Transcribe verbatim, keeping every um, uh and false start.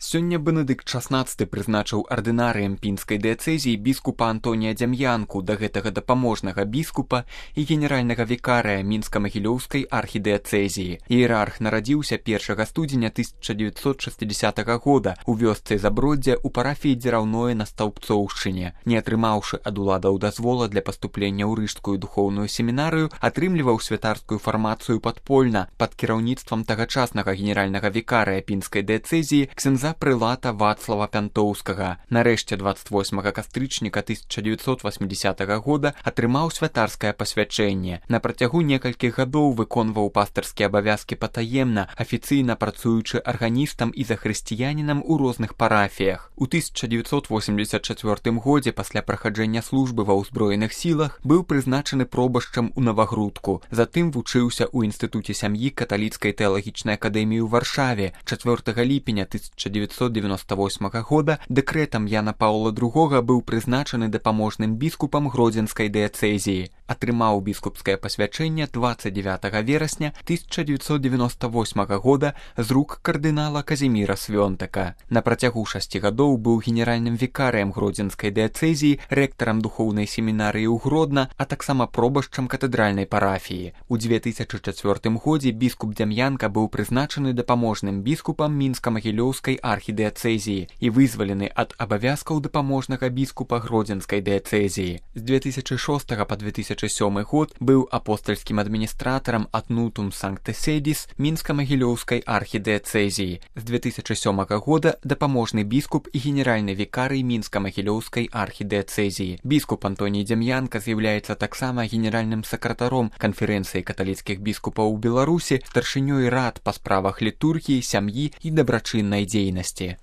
Сёння Бенедыкт шаснаццаты прызначыў ардынарыем пінскай дыяцэзіі біскупа Антонія Дзям'янку, да гэтага дапаможнага біскупа і генеральнага вікарыя мінска-магілёўскай архідыяцэзіі. Іерарх нарадзіўся першага студзеня тысяча дзевяцьсот шэсцідзясятага года ў вёсцы Заброддзя ў парафіі Дзіраўное на Стаўбцоўшчыне. Не атрымаўшы ад уладаў дазвола для паступлення ў рыжскую духоўную семінарыю, атрымліваў святарскую фармацыю падпольна пад кіраўніцтвам тагачаснага генеральнага вікарыя пінскай дыяцэзіі ксяндза прылата Вацлава Пянтоўскага. Нарэшце дваццаць восьмага кастрычніка тысяча дзевяцьсот васьмідзясятага года атрымаў святарскае пасвячэнне. На працягу некалькіх гадоў выконваў пастырскія абавязкі патаемна, афіцыйна працуючы арганістам і захрысціянінам у розных парафіях. У тысяча дзевяцьсот восемьдесят чацвёртым годзе пасля праходжання службы ва ўзброеных сілах быў прызначаны пробашчам у Навагрудку. Затым вучыўся ў інстытуце сям'і каталіцкай тэалагічнай акадэміі ў Варшаве. чацвёртага ліпеня тысяча дзевяцьсот дзевяносто восьмага года дэкрэтам Яна Паўла другога быў прызначаны дапаможным біскупам Гродзенскай дыяцэзіі. Атрымаў біскупскае пасвячэнне дваццаць дзевятага верасня тысяча дзевяцьсот дзевяносто восьмага года з рук кардынала Казіміра Свёнтака. На працягу шасці гадоў быў генеральным вікарыем Гродзенскай дыяцэзіі, рэктарам духоўнай семінарыі ў Гродна, а таксама пробашчам катэдральнай парафіі. У дзве тысячы чацвёртым годзе біскуп Дзям'янка быў прызначаны дапаможным біскупам мінска-магілёўскай архідыяцэзіі і вызвалены ад абавязкаў дапаможнага біскупа Гродзенскай дыяцэзіі. З дзве тысячы шостага па две тысячы сёмы год быў апостальскім адміністратарам ад Нутум Санкте Седис мінска-магілёўскай архідыяцэзіі. З две тысячы сёмага года дапаможны біскуп і генеральны вікарый мінска-магілёўскай архідыяцэзіі. Біскуп Антоній Дзям'янка з'яўляецца таксама генеральным сакратаром канферэнцыі каталіцкіх біскупаў у Беларусі, старшынёй рад па справах літургіі, сям'і і дабрачыннай дзейнасці.